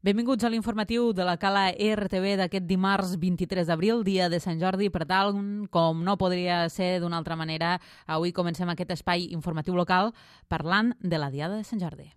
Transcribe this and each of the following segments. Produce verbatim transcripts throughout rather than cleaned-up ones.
Benvinguts a l'informatiu de la Cala R T V d'aquest dimarts vint-i-tres d'abril, dia de Sant Jordi. Per tal, com no podria ser d'una altra manera, avui comencem aquest espai informatiu local parlant de la Diada de Sant Jordi.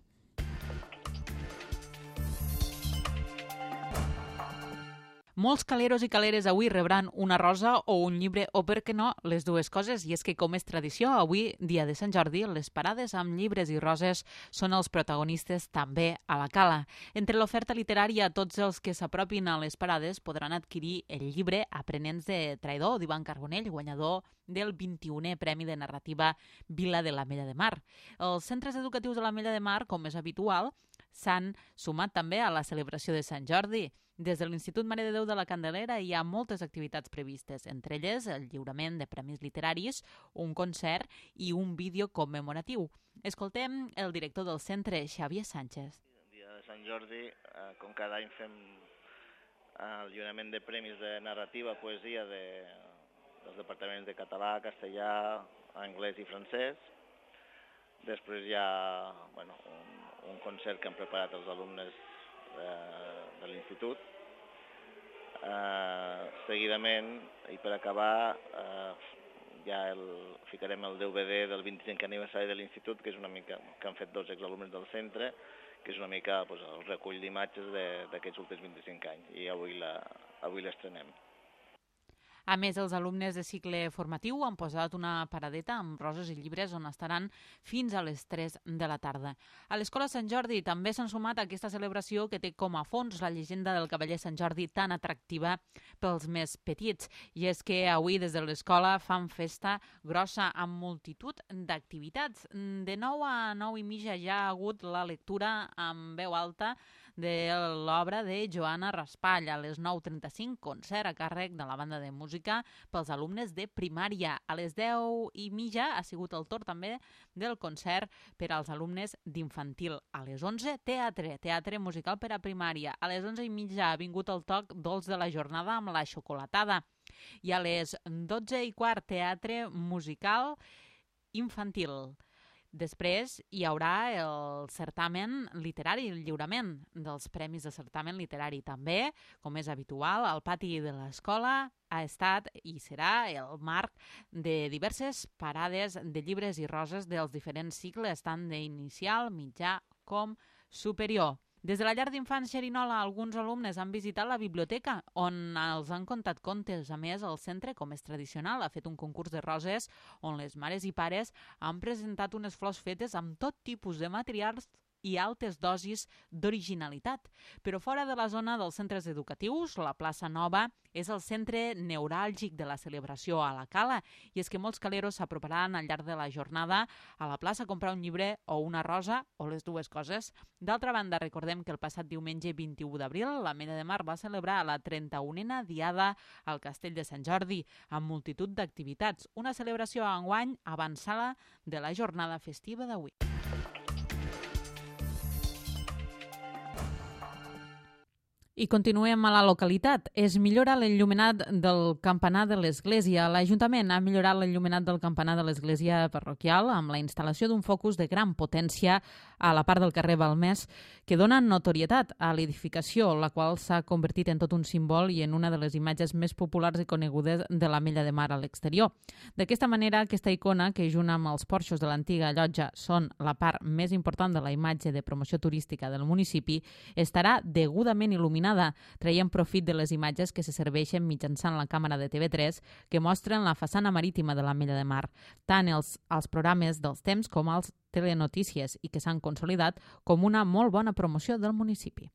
Molts caleros i caleres avui rebran una rosa o un llibre, o per què no, les dues coses. I és que, com és tradició, avui, dia de Sant Jordi, les parades amb llibres i roses són els protagonistes també a la Cala. Entre l'oferta literària, tots els que s'apropin a les parades podran adquirir el llibre Aprenents de Traïdor, d'Ivan Carbonell, guanyador del vint-i-unè Premi de Narrativa Vila de l'Ametlla de Mar. Els centres educatius de l'Ametlla de Mar, com és habitual, s'han sumat també a la celebració de Sant Jordi. Des de l'Institut Mare de Déu de la Candelera hi ha moltes activitats previstes, entre elles el lliurament de premis literaris, un concert i un vídeo commemoratiu. Escoltem el director del centre, Xavier Sánchez. El dia de Sant Jordi, eh, com cada any fem el lliurament de premis de narrativa, poesia de, dels departaments de català, castellà, anglès i francès. Després hi ha bueno, un, un concert que han preparat els alumnes de, de l'institut. Uh, seguidament, i per acabar, uh, ja el, ficarem el D V D del vint-i-cinquè aniversari de l'institut, que és una mica que han fet dos exalumnes del centre, que és una mica pues, el recull d'imatges d'aquests últims vint-i-cinc anys, i avui la, avui l'estrenem. A més, els alumnes de cicle formatiu han posat una paradeta amb roses i llibres on estaran fins a les tres de la tarda. A l'Escola Sant Jordi també s'han sumat a aquesta celebració que té com a fons la llegenda del cavaller Sant Jordi tan atractiva pels més petits. I és que avui des de l'escola fan festa grossa amb multitud d'activitats. De nou a nou i mitja ja ha hagut la lectura amb veu alta de l'obra de Joana Raspall. A les nou trenta-cinc, concert a càrrec de la banda de música pels alumnes de primària. A les deu i mitja ha sigut el torn també del concert per als alumnes d'infantil. A les onze, teatre, teatre musical per a primària. A les onze i mitja ha vingut el toc dolç de la jornada amb la xocolatada. I a les dotze i quart, teatre musical infantil. Després hi haurà el certamen literari, el lliurament dels premis de certamen literari. També, com és habitual, el pati de l'escola ha estat i serà el marc de diverses parades de llibres i roses dels diferents cicles, tant d'inicial, mitjà com superior. Des de la llar d'infants Xerinola, alguns alumnes han visitat la biblioteca, on els han contat contes. A més, el centre, com és tradicional, ha fet un concurs de roses on les mares i pares han presentat unes flors fetes amb tot tipus de materials i altes dosis d'originalitat. Però fora de la zona dels centres educatius, la plaça Nova és el centre neuràlgic de la celebració a la Cala, i és que molts caleros s'aproparan al llarg de la jornada a la plaça a comprar un llibre o una rosa, o les dues coses. D'altra banda, recordem que el passat diumenge vint-i-u d'abril l'Ametlla de Mar va celebrar la trenta-unena Diada al Castell de Sant Jordi, amb multitud d'activitats. Una celebració enguany avançada de la jornada festiva d'avui. I continuem a la localitat. Es millora l'enllumenat del campanar de l'església. L'Ajuntament ha millorat l'enllumenat del campanar de l'església parroquial amb la instal·lació d'un focus de gran potència a la part del carrer Balmès que dona notorietat a l'edificació, la qual s'ha convertit en tot un símbol i en una de les imatges més populars i conegudes de l'Ametlla de Mar a l'exterior. D'aquesta manera, aquesta icona, que junt amb els porxos de l'antiga llotja són la part més important de la imatge de promoció turística del municipi, estarà degudament il·luminada, traient profit de les imatges que se serveixen mitjançant la càmera de T V tres que mostren la façana marítima de l'Ametlla de Mar, tant els, els programes dels temps com els telenotícies, i que s'han consolidat com una molt bona promoció del municipi.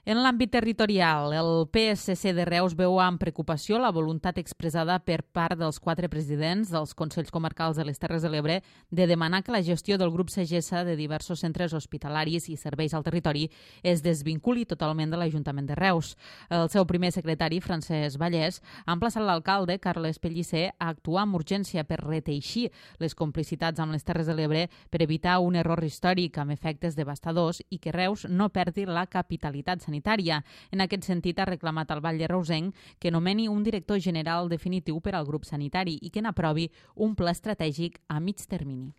En l'àmbit territorial, el P S C de Reus veu amb preocupació la voluntat expressada per part dels quatre presidents dels Consells Comarcals de les Terres de l'Ebre de demanar que la gestió del grup Sagessa de diversos centres hospitalaris i serveis al territori es desvinculi totalment de l'Ajuntament de Reus. El seu primer secretari, Francesc Vallès, ha emplaçat l'alcalde, Carles Pellicer, a actuar amb urgència per reteixir les complicitats amb les Terres de l'Ebre per evitar un error històric amb efectes devastadors i que Reus no perdi la capitalitat sanitària sanitària. En aquest sentit, ha reclamat al Batlle Reusenc que nomeni un director general definitiu per al grup sanitari i que n'aprovi un pla estratègic a mig termini.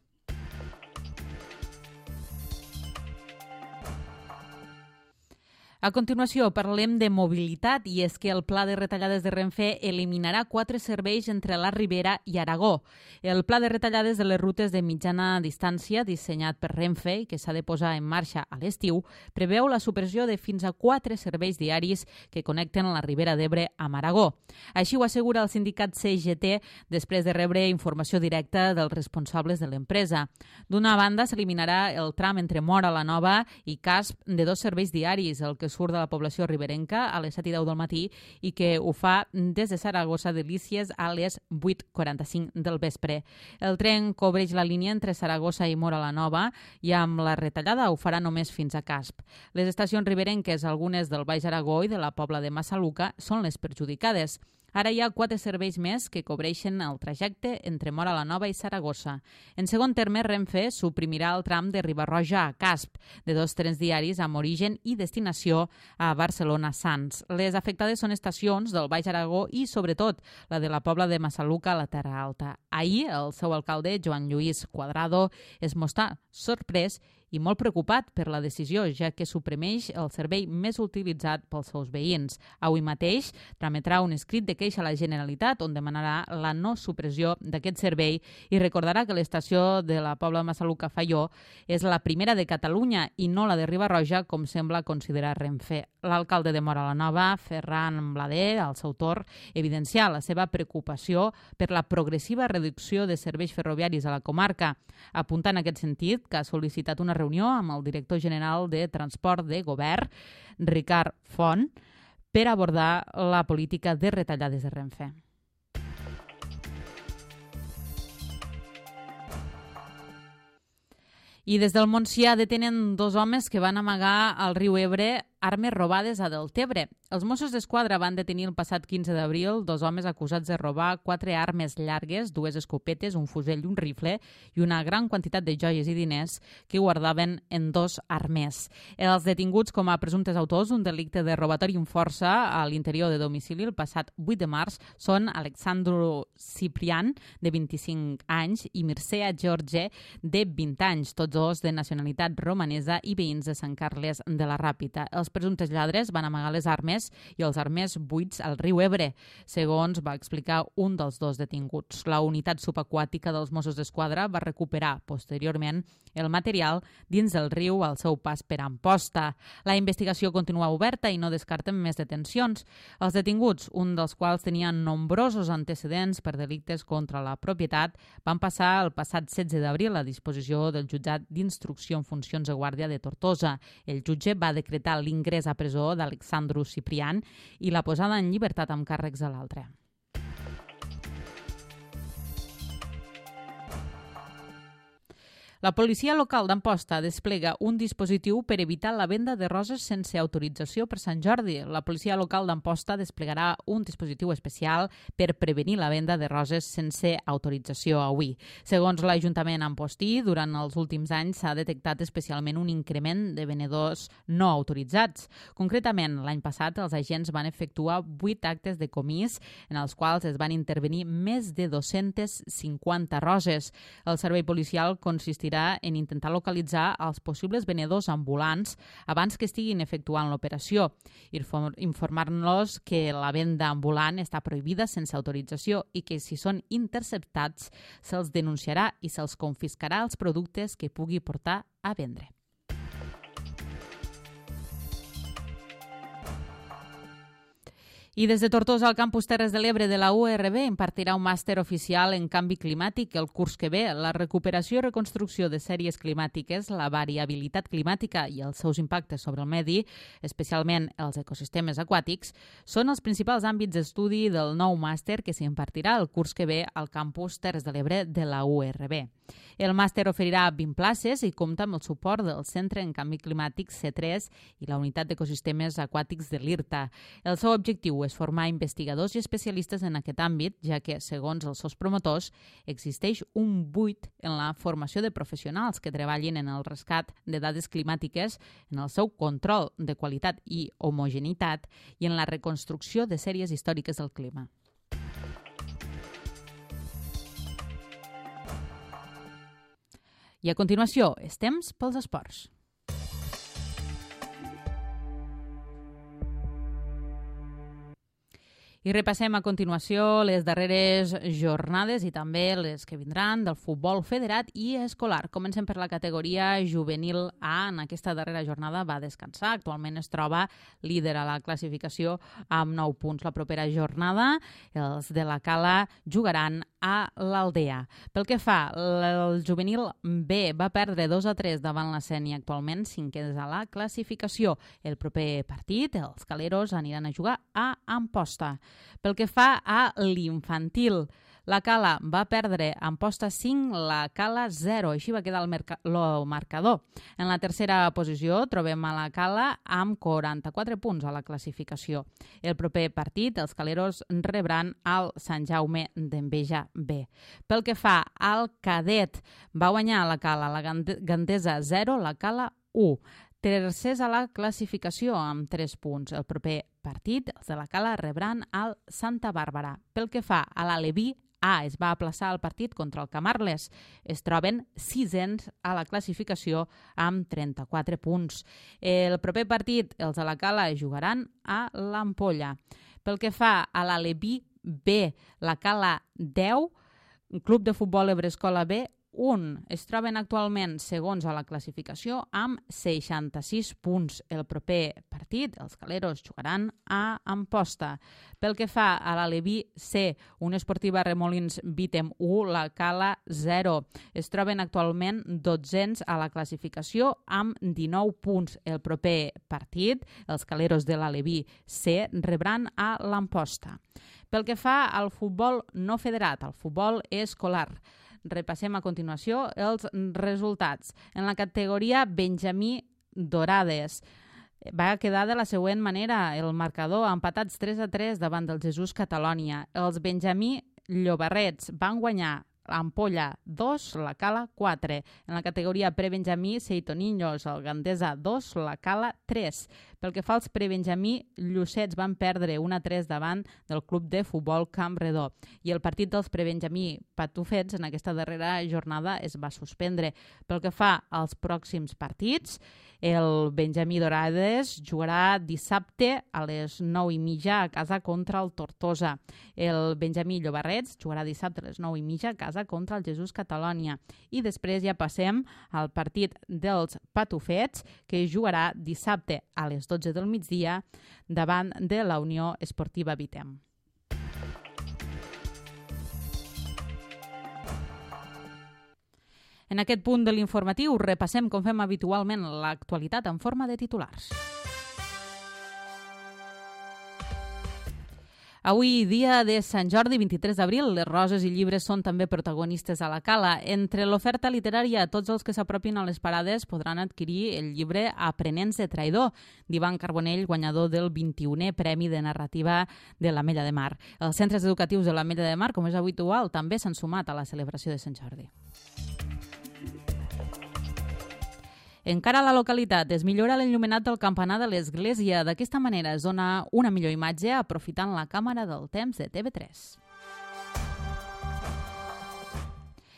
A continuació parlem de mobilitat i és que el pla de retallades de Renfe eliminarà quatre serveis entre la Ribera i Aragó. El pla de retallades de les rutes de mitjana distància dissenyat per Renfe i que s'ha de posar en marxa a l'estiu preveu la supressió de fins a quatre serveis diaris que connecten la Ribera d'Ebre amb Aragó. Així ho assegura el sindicat C G T després de rebre informació directa dels responsables de l'empresa. D'una banda, s'eliminarà el tram entre Móra la Nova i Casp de dos serveis diaris, el que surt de la població riberenca a les set i deu del matí i que ho fa des de Saragossa Delícies a les vuit quaranta-cinc del vespre. El tren cobreix la línia entre Saragossa i Móra la Nova i amb la retallada ho farà només fins a Casp. Les estacions riberenques, algunes del Baix Aragó i de la Pobla de Massaluca, són les perjudicades. Ara hi ha quatre serveis més que cobreixen el trajecte entre Móra la Nova i Saragossa. En segon terme, Renfe suprimirà el tram de Riba-roja a Casp, de dos trens diaris amb origen i destinació a Barcelona-Sants. Les afectades són estacions del Baix Aragó i, sobretot, la de la Pobla de Massaluca a la Terra Alta. Ahir, el seu alcalde, Joan Lluís Cuadrado, es mostrà sorprès i molt preocupat per la decisió, ja que suprimeix el servei més utilitzat pels seus veïns. Avui mateix trametrà un escrit de queixa a la Generalitat on demanarà la no supressió d'aquest servei i recordarà que l'estació de la Pobla de Massaluca Faió és la primera de Catalunya i no la de Riba-roja, com sembla considerar Renfe. L'alcalde de Móra la Nova, Ferran Blader, al seu torn, evidencià la seva preocupació per la progressiva reducció de serveis ferroviaris a la comarca, apuntant en aquest sentit que ha sol·licitat una reunió amb el director general de Transport de Govern, Ricard Font, per abordar la política de retallades de Renfe. I des del Montsià detenen dos homes que van amagar al riu Ebre armes robades a Deltebre. Els Mossos d'Esquadra van detenir el passat quinze d'abril dos homes acusats de robar quatre armes llargues, dues escopetes, un fusell i un rifle i una gran quantitat de joies i diners que guardaven en dos armers. Els detinguts com a presumptes autors d'un delicte de robatori amb força a l'interior de domicili el passat vuit de març són Alexandru Ciprian, de vint-i-cinc anys, i Mircea George, de vint anys, tots dos de nacionalitat romanesa i veïns de Sant Carles de la Ràpita. Els presumptes lladres van amagar les armes i els armers buits al riu Ebre, segons va explicar un dels dos detinguts. La unitat subaquàtica dels Mossos d'Esquadra va recuperar posteriorment el material dins del riu al seu pas per Amposta. La investigació continua oberta i no descarten més detencions. Els detinguts, un dels quals tenien nombrosos antecedents per delictes contra la propietat, van passar el passat setze d'abril a disposició del jutjat d'instrucció en funcions de guàrdia de Tortosa. El jutge va decretar l'ingrés a presó d'Alexandru Ciprian i la posada en llibertat amb càrrecs a l'altre. La policia local d'Amposta desplega un dispositiu per evitar la venda de roses sense autorització per Sant Jordi. La policia local d'Amposta desplegarà un dispositiu especial per prevenir la venda de roses sense autorització avui. Segons l'Ajuntament ampostí, durant els últims anys s'ha detectat especialment un increment de venedors no autoritzats. Concretament, l'any passat els agents van efectuar vuit actes de comís en els quals es van intervenir més de dos-centes cinquanta roses. El servei policial consistirà en intentar localitzar els possibles venedors ambulants abans que estiguin efectuant l'operació, informar-los que la venda ambulant està prohibida sense autorització i que si són interceptats se'ls denunciarà i se'ls confiscarà els productes que pugui portar a vendre. I des de Tortosa al campus Terres de l'Ebre de la U R B impartirà un màster oficial en canvi climàtic el curs que ve. La recuperació i reconstrucció de sèries climàtiques, la variabilitat climàtica i els seus impactes sobre el medi, especialment els ecosistemes aquàtics, són els principals àmbits d'estudi del nou màster que s'impartirà el curs que ve al campus Terres de l'Ebre de la U R B. El màster oferirà vint places i compta amb el suport del Centre en Canvi Climàtic C tres i la Unitat d'Ecosistemes Aquàtics de l'I R T A. El seu objectiu és formar investigadors i especialistes en aquest àmbit, ja que, segons els seus promotors, existeix un buit en la formació de professionals que treballin en el rescat de dades climàtiques, en el seu control de qualitat i homogeneïtat i en la reconstrucció de sèries històriques del clima. I a continuació, és temps pels esports. I repassem a continuació les darreres jornades i també les que vindran del futbol federat i escolar. Comencem per la categoria juvenil A. En aquesta darrera jornada va descansar. Actualment es troba líder a la classificació amb nou punts. La propera jornada els de la Cala jugaran a l'Aldea. Pel que fa, el juvenil B va perdre dos a tres davant la Sénia, actualment cinquens a la classificació. El proper partit, els caleros aniran a jugar a Amposta. Pel que fa a l'infantil, la Cala va perdre a Amposta cinc, la Cala zero. Així va quedar el, merca- el marcador. En la tercera posició trobem a la Cala amb quaranta-quatre punts a la classificació. El proper partit, els caleros rebran al Sant Jaume d'Enveja B. Pel que fa al cadet, va guanyar la Cala, la Gandesa zero, la Cala u. Tercers a la classificació amb tres punts. El proper partit, els de la Cala rebran al Santa Bàrbara. Pel que fa a l'Aleví A, es va aplaçar el partit contra el Camarles. Es troben sisens a la classificació amb trenta-quatre punts. El proper partit, els de la Cala jugaran a l'Ampolla. Pel que fa a l'Aleví B, la Cala deu, Club de Futbol Ebrescola B, un. Es troben actualment segons a la classificació amb seixanta-sis punts. El proper partit, els caleros jugaran a Amposta. Pel que fa a l'Aleví C, Unió Esportiva Remolins Vítem u, la Cala zero. Es troben actualment dotzens a la classificació amb dinou punts. El proper partit, els caleros de l'Aleví C, rebran a l'Amposta. Pel que fa al futbol no federat, al futbol escolar, repassem a continuació els resultats. En la categoria Benjamí Dorades va quedar de la següent manera. El marcador empatats tres a tres davant del Jesús Catalònia. Els Benjamí Llobarrets van guanyar Ampolla dos, la Cala quatre. En la categoria prebenjamí Seitoniños, el Gandesa dos, la Cala tres. Pel que fa als prebenjamí, Llucets van perdre un a tres davant del Club de Futbol Camp Redó. I el partit dels prebenjamí Patufets en aquesta darrera jornada es va suspendre. Pel que fa als pròxims partits, el Benjamí Dorades jugarà dissabte a les nou i mitja a casa contra el Tortosa. El Benjamí Llobarrets jugarà dissabte a les nou i mitja a casa contra el Jesús Catalònia. I després ja passem al partit dels Patufets, que jugarà dissabte a les dotze del migdia davant de la Unió Esportiva Vítem. En aquest punt de l'informatiu repassem, com fem habitualment, l'actualitat en forma de titulars. Avui, dia de Sant Jordi, vint-i-tres d'abril, les roses i llibres són també protagonistes a la Cala. Entre l'oferta literària, tots els que s'apropin a les parades podran adquirir el llibre Aprenents de traïdor, d'Ivan Carbonell, guanyador del vint-i-unè Premi de Narrativa de l'Ametlla de Mar. Els centres educatius de l'Ametlla de Mar, com és habitual, també s'han sumat a la celebració de Sant Jordi. Encara a la localitat es millora l'enllumenat del campanar de l'església. D'aquesta manera es dona una millor imatge aprofitant la càmera del temps de T V tres.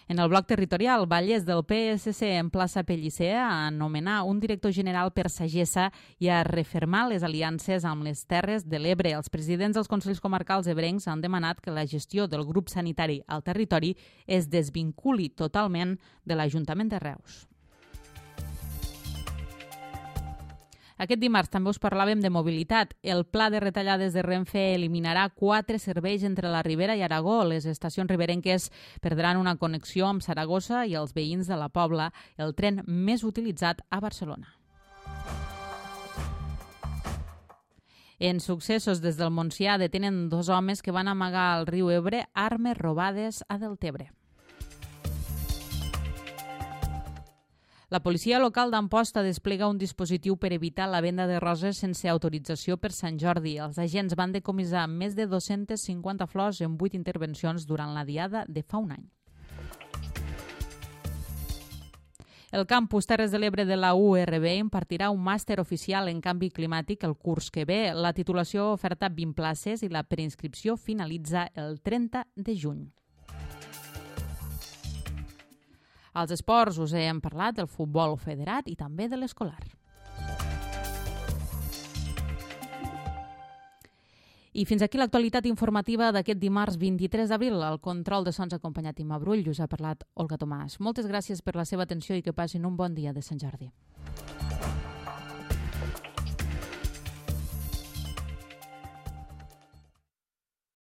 En el bloc territorial, Vallès del P S C en plaça Pellicer a anomenar un director general per Sagessa i a refermar les aliances amb les Terres de l'Ebre. Els presidents dels Consells Comarcals ebrencs han demanat que la gestió del grup sanitari al territori es desvinculi totalment de l'Ajuntament de Reus. Aquest dimarts també us parlàvem de mobilitat. El pla de retallades de Renfe eliminarà quatre serveis entre la Ribera i Aragó. Les estacions riberenques perdran una connexió amb Saragossa i els veïns de la Pobla, el tren més utilitzat a Barcelona. En successos des del Montsià detenen dos homes que van amagar al riu Ebre armes robades a Deltebre. La policia local d'Amposta desplega un dispositiu per evitar la venda de roses sense autorització per Sant Jordi. Els agents van decomissar més de dos-centes cinquanta flors en vuit intervencions durant la diada de fa un any. El campus Terres de l'Ebre de la U R B impartirà un màster oficial en canvi climàtic el curs que ve. La titulació oferta vint places i la preinscripció finalitza el trenta de juny. Als esports us hem parlat del futbol federat i també de l'escolar. I fins aquí l'actualitat informativa d'aquest dimarts vint-i-tres d'abril. Al control de sons acompanyat Imma Brull, us ha parlat Olga Tomàs. Moltes gràcies per la seva atenció i que passin un bon dia de Sant Jordi.